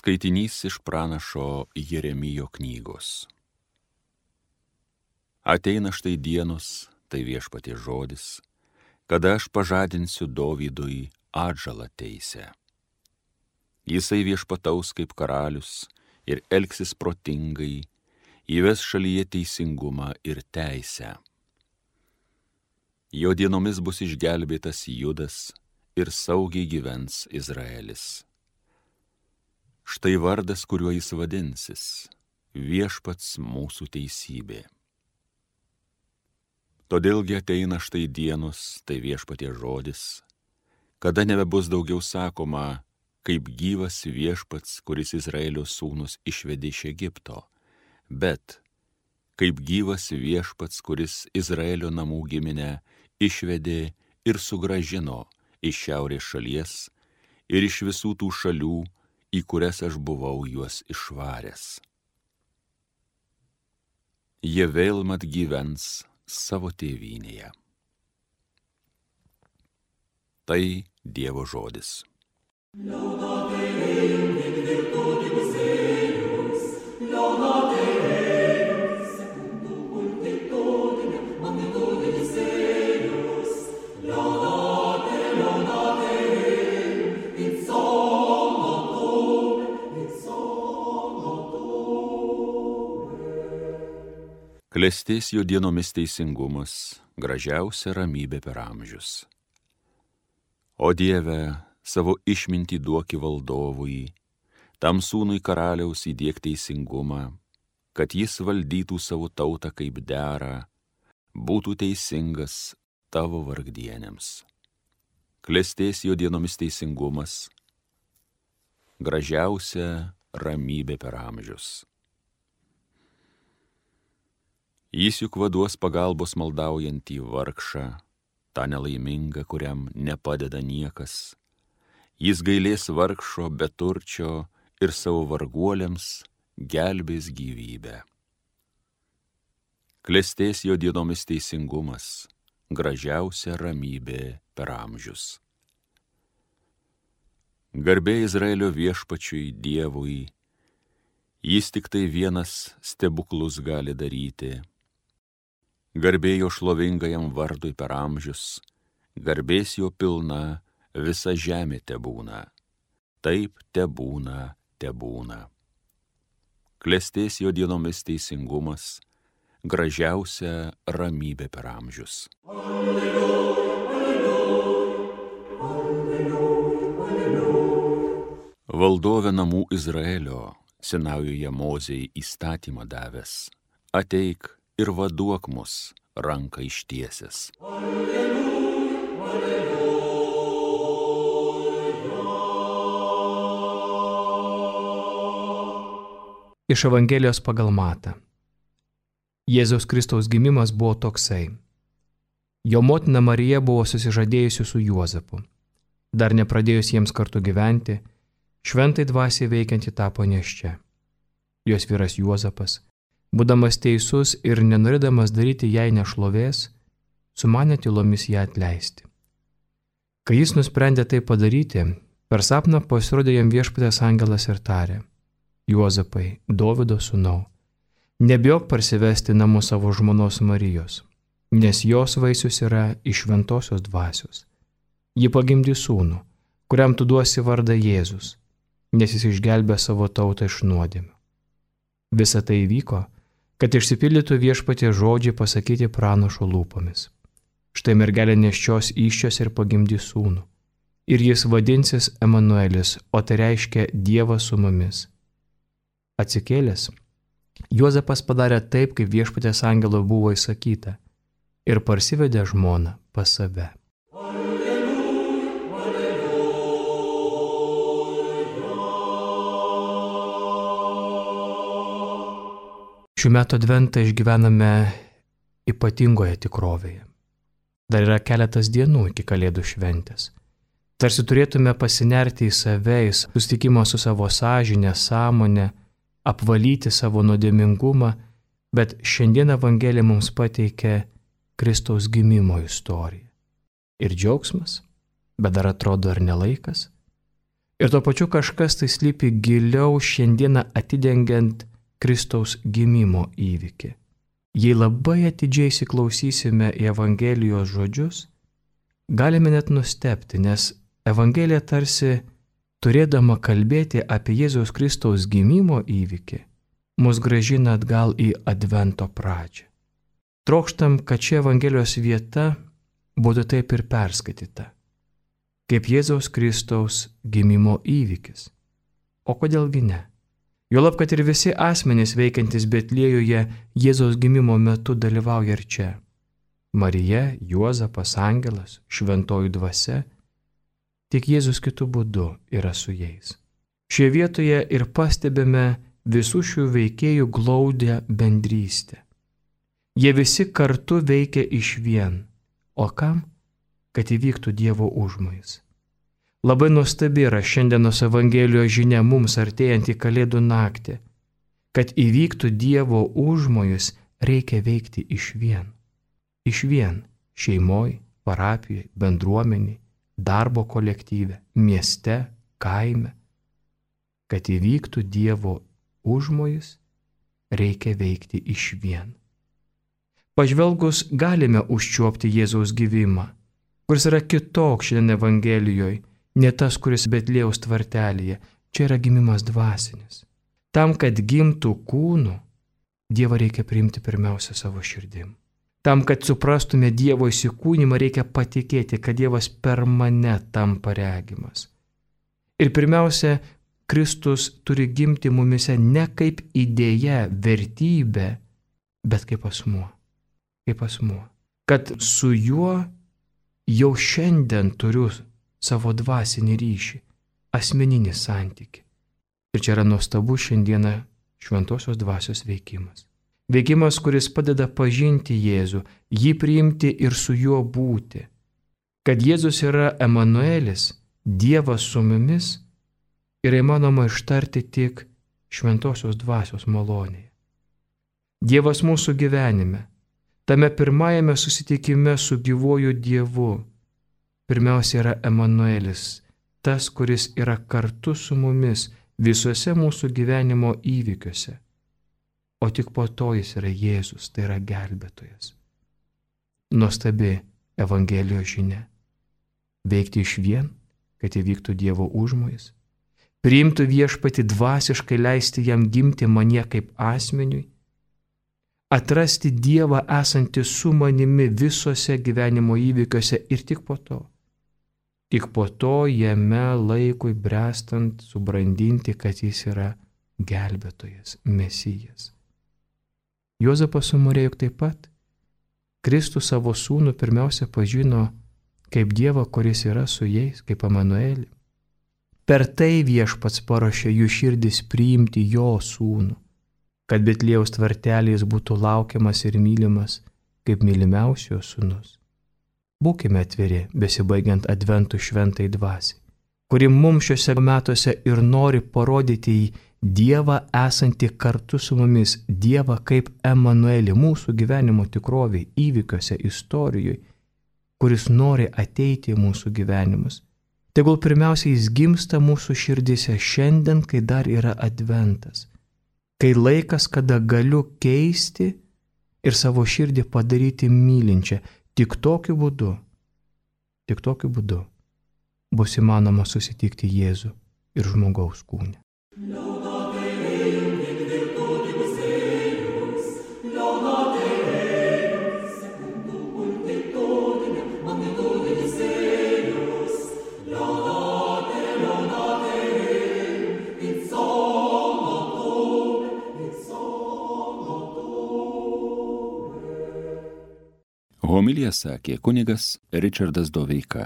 Skaitinys iš pranašo Jeremijo knygos. Ateina štai dienos, tai viešpaties žodis, kada aš pažadinsiu Dovydui atžalą teisę. Jisai viešpataus kaip karalius ir elgsis protingai, įves šalyje teisingumą ir teisę. Jo dienomis bus išgelbėtas Judas ir saugiai gyvens Izraelis. Štai vardas, kuriuo jis vadinsis, viešpats mūsų teisybė. Todėlgi ateina štai dienos, tai viešpaties žodis, kada nebebus daugiau sakoma, kaip gyvas viešpats, kuris Izraelio sūnus išvedė iš Egipto, bet kaip gyvas viešpats, kuris Izraelio namų giminę išvedė ir sugrąžino iš šiaurės šalies ir iš visų tų šalių, į kurias aš buvau juos išvaręs. Jie vėl mat gyvens savo tėvynėje. Tai Dievo žodis. Klestės jo dienomis teisingumas, gražiausia ramybė per amžius. O Dieve, savo išmintį duoki valdovui, tam sūnui karaliaus įdiek teisingumą, kad jis valdytų savo tautą kaip dera, būtų teisingas tavo vargdienėms. Klestės jo dienomis teisingumas, gražiausia ramybė per amžius. Jis juk vaduos pagalbos maldaujantį vargšą, tą nelaimingą, kuriam nepadeda niekas. Jis gailės vargšo, beturčio ir savo varguoliams gelbės gyvybę. Klestės jo dienomis teisingumas, gražiausia ramybė per amžius. Garbė Izraelio viešpačiui Dievui, jis tik tai vienas stebuklus gali daryti. Garbė jo šlovingajam vardui per amžius, garbės jo pilna, visa žemė tebūna. Taip tebūna, tebūna. Klestės jo dienomis teisingumas, gražiausia ramybė per amžius. Alleluja, alleluja, alleluja. Valdove namų Izraelio, senaujoje Mozei įstatymą davęs, ateik ir vaduok mus ranką ištiesęs. Alleluja, alleluja. Iš Evangelijos pagal Matą. Jėzaus Kristaus gimimas buvo toksai. Jo motina Marija buvo susižadėjusi su Juozapu. Dar nepradėjus jiems kartu gyventi, šventai dvasiai veikianti tapo nėščia. Jos vyras Juozapas, būdamas teisus ir nenorėdamas daryti jai nešlovės, sumanė tylomis ją atleisti. Kai jis nusprendė tai padaryti, per sapną pasirodė jam viešpatės angelas ir tarė: Juozapai, Dovydo sūnau, nebijok parsivesti namo savo žmonos Marijos, nes jos vaisius yra iš šventosios dvasios. Ji pagimdys sūnų, kuriam tu duosi vardą Jėzus, nes jis išgelbė savo tautą iš nuodėmių. Visa tai įvyko, kad išsipildytų viešpaties žodžiai pasakyti pranašo lūpomis. Štai mergelė nėščios įsčios ir pagimdys sūnų, ir jis vadinsis Emanuelis, o tai reiškia Dievas su mumis. Atsikėlęs, Juozapas padarė taip, kaip viešpaties angelo buvo įsakyta, ir parsivedė žmoną pas save. Šių metų adventą išgyvename ypatingoje tikrovėje. Dar yra keletas dienų iki Kalėdų šventės. Tarsi turėtume pasinerti į save, į susitikimą su savo sąžine, sąmonė, apvalyti savo nuodėmingumą, bet šiandien Evangelija mums pateikia Kristaus gimimo istoriją. Ir džiaugsmas, bet dar atrodo ir nelaikas. Ir tuo pačiu kažkas tai slypi giliau šiandieną atidengiant Kristaus gimimo įvykį. Jei labai atidžiai įsiklausysime į Evangelijos žodžius, galime net nustebti, nes Evangelija tarsi turėdama kalbėti apie Jėzaus Kristaus gimimo įvykį, mus gražina atgal į Advento pradžią. Trokštam, kad ši Evangelijos vieta būtų taip ir perskaityta, kaip Jėzaus Kristaus gimimo įvykis. O kodėlgi ne? Juolab, kad ir visi asmenys veikiantys Betliejuje Jėzaus gimimo metu dalyvauja ir čia. Marija, Juozapas, angelas, šventoji dvasia, tik Jėzus kitu būdu yra su jais. Šioje vietoje ir pastebime visų šių veikėjų glaudę bendrystę. Jie visi kartu veikia išvien. O kam? Kad įvyktų Dievo užmojis. Labai nuostabi yra šiandienos Evangelijos žinia mums artėjant į Kalėdų naktį. Kad įvyktų Dievo užmojis, reikia veikti išvien. Išvien šeimoj, parapijoj, bendruomeniai, darbo kolektyve, mieste, kaime. Kad įvyktų Dievo užmojis, reikia veikti išvien. Pažvelgus galime užčiuopti Jėzaus gyvimą, kuris yra kitoks šiandien Evangelijoje, ne tas, kuris Betliejaus tvartelyje, čia yra gimimas dvasinis. Tam, kad gimtų kūnu, Dievą reikia priimti pirmiausia savo širdim. Tam, kad suprastume Dievo įsikūnymą, reikia patikėti, kad Dievas per mane tampa regimas. Ir pirmiausia, Kristus turi gimti mumise ne kaip idėja, vertybė, bet kaip asmuo. Kaip asmuo. Kad su juo jau šiandien turiu savo dvasinį ryšį, asmeninį santykį. Ir čia yra nuostabu šiandieną šventosios dvasios veikimas. Veikimas, kuris padeda pažinti Jėzų, jį priimti ir su juo būti. Kad Jėzus yra Emanuelis, Dievas su mumis, yra įmanoma ištarti tik šventosios dvasios malonėje. Dievas mūsų gyvenime, tame pirmajame susitikime su gyvuoju Dievu, pirmiausia yra Emanuelis, tas, kuris yra kartu su mumis visuose mūsų gyvenimo įvykiuose. O tik po to jis yra Jėzus, tai yra gelbėtojas. Nuostabi Evangelijos žinia. Veikti išvien, kad įvyktų Dievo užmojis. Priimtų viešpatį dvasiškai, leisti jam gimti manyje kaip asmeniui. Atrasti Dievą esantį su manimi visose gyvenimo įvykiuose ir tik po to jame laikui brestant subrandinti, kad jis yra gelbėtojas, Mesijas. Juozapas su Marija juk taip pat. Kristus savo sūnų pirmiausia pažino kaip Dievą, kuris yra su jais, kaip Emanuelį. Per tai Viešpats paruošė jų širdis priimti jo sūnų, kad Betliejaus tvarteliais būtų laukiamas ir mylimas kaip mylimiausio sūnus. Būkime atviri, besibaigiant Adventų šventai dvasiai, kuri mums šiuose metuose ir nori parodyti į Dievą esantį kartu su mumis, Dievą kaip Emanuelį mūsų gyvenimo tikroviai, įvykiuose, istorijoje, kuris nori ateiti į mūsų gyvenimus. Tegul pirmiausia jis gimsta mūsų širdise šiandien, kai dar yra Adventas, kai laikas, kada galiu keisti ir savo širdį padaryti mylinčią. Tik tokiu būdu bus įmanoma susitikti Jėzų ir žmogaus kūne. Homiliją sakė kunigas Ričardas Doveika.